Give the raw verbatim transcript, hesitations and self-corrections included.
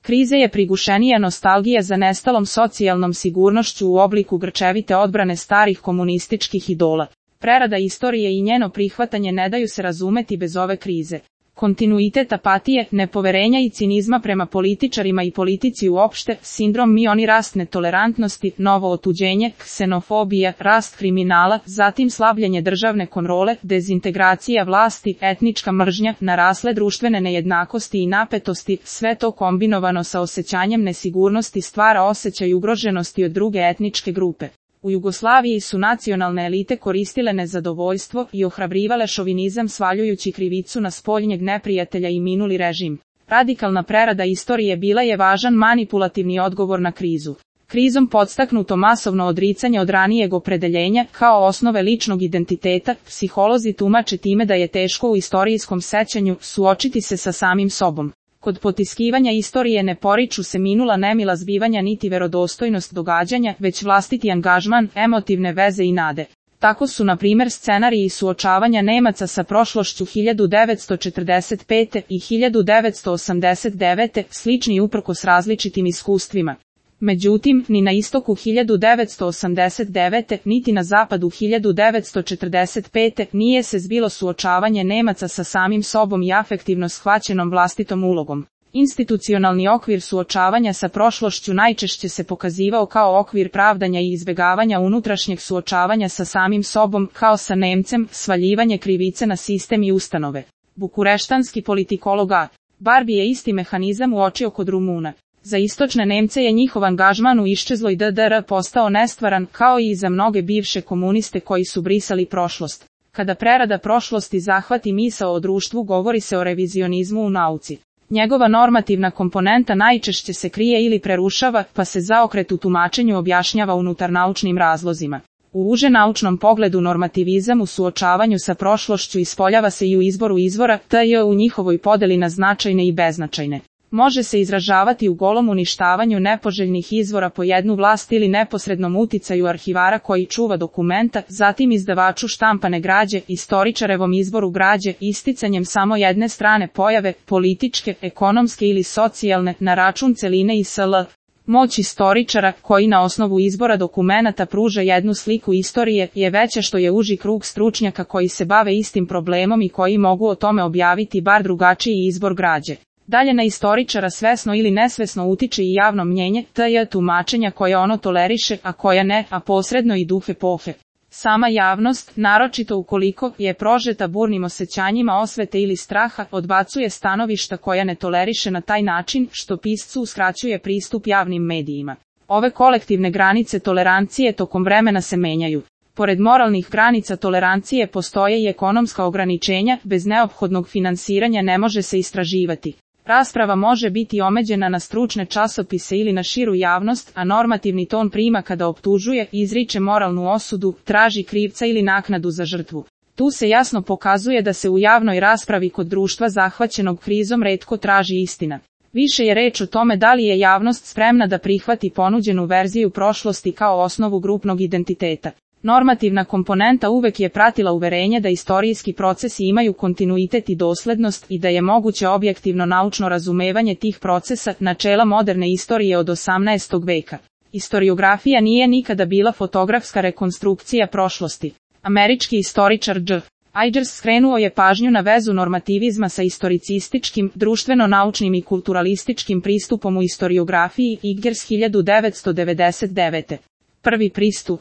Krize je prigušenija nostalgija za nestalom socijalnom sigurnošću u obliku grčevite odbrane starih komunističkih idola. Prerada istorije i njeno prihvatanje ne daju se razumeti bez ove krize. Kontinuitet apatije, nepoverenja i cinizma prema političarima i politici uopšte, sindrom mioni rast netolerantnosti, novo otuđenje, ksenofobija, rast kriminala, zatim slabljenje državne kontrole, dezintegracija vlasti, etnička mržnja, narasle društvene nejednakosti i napetosti, sve to kombinovano sa osjećanjem nesigurnosti stvara osjećaj ugroženosti od druge etničke grupe. U Jugoslaviji su nacionalne elite koristile nezadovoljstvo i ohrabrivale šovinizam svaljujući krivicu na spoljnjeg neprijatelja i minuli režim. Radikalna prerada istorije bila je važan manipulativni odgovor na krizu. Krizom podstaknuto masovno odricanje od ranijeg opredeljenja kao osnove ličnog identiteta, psiholozi tumače time da je teško u istorijskom sećanju suočiti se sa samim sobom. Kod potiskivanja istorije ne poriču se minula nemila zbivanja niti verodostojnost događanja, već vlastiti angažman, emotivne veze i nade. Tako su na primjer scenariji suočavanja Nemaca sa prošlošću hiljadu devetsto četrdeset pete. i hiljadu devetsto osamdeset devete. slični uprkos različitim iskustvima. Međutim, ni na istoku hiljadu devetsto osamdeset devete. niti na zapadu hiljadu devetsto četrdeset pete. nije se zbilo suočavanje Nemaca sa samim sobom i afektivno shvaćenom vlastitom ulogom. Institucionalni okvir suočavanja sa prošlošću najčešće se pokazivao kao okvir pravdanja i izbjegavanja unutrašnjeg suočavanja sa samim sobom, kao sa Nemcem, svaljivanje krivice na sistem i ustanove. Bukureštanski politikolog A. Barbi je isti mehanizam uočio kod Rumuna. Za istočne Nemce je njihov angažman u iščezloj D D R postao nestvaran, kao i za mnoge bivše komuniste koji su brisali prošlost. Kada prerada prošlosti zahvati misao o društvu, govori se o revizionizmu u nauci. Njegova normativna komponenta najčešće se krije ili prerušava, pa se zaokret u tumačenju objašnjava unutar naučnim razlozima. U uže naučnom pogledu normativizam u suočavanju sa prošlošću ispoljava se i u izboru izvora, te u njihovoj podeli na značajne i beznačajne. Može se izražavati u golom uništavanju nepoželjnih izvora po jednu vlast ili neposrednom uticaju arhivara koji čuva dokumenta, zatim izdavaču štampane građe, istoričarevom izboru građe, isticanjem samo jedne strane pojave, političke, ekonomske ili socijalne, na račun celine i sl. Moć istoričara, koji na osnovu izbora dokumenata pruža jednu sliku istorije, je veća što je uži krug stručnjaka koji se bave istim problemom i koji mogu o tome objaviti bar drugačiji izbor građe. Dalje na istoričara svesno ili nesvesno utiče i javno mnjenje, te je tumačenja koje ono toleriše, a koja ne, a posredno i duh epohe. Sama javnost, naročito ukoliko je prožeta burnim osjećanjima osvete ili straha, odbacuje stanovišta koja ne toleriše na taj način, što piscu uskraćuje pristup javnim medijima. Ove kolektivne granice tolerancije tokom vremena se menjaju. Pored moralnih granica tolerancije postoje i ekonomska ograničenja, bez neophodnog finansiranja ne može se istraživati. Rasprava može biti omeđena na stručne časopise ili na širu javnost, a normativni ton prima kada optužuje, izriče moralnu osudu, traži krivca ili naknadu za žrtvu. Tu se jasno pokazuje da se u javnoj raspravi kod društva zahvaćenog krizom retko traži istina. Više je reč o tome da li je javnost spremna da prihvati ponuđenu verziju prošlosti kao osnovu grupnog identiteta. Normativna komponenta uvek je pratila uverenje da istorijski procesi imaju kontinuitet i doslednost i da je moguće objektivno naučno razumevanje tih procesa, načela moderne istorije od osamnaestog veka. Istoriografija nije nikada bila fotografska rekonstrukcija prošlosti. Američki istoričar Dž. Igers skrenuo je pažnju na vezu normativizma sa istoricističkim, društveno-naučnim i kulturalističkim pristupom u istoriografiji, Igers hiljadu devetsto devedeset devete. Prvi pristup.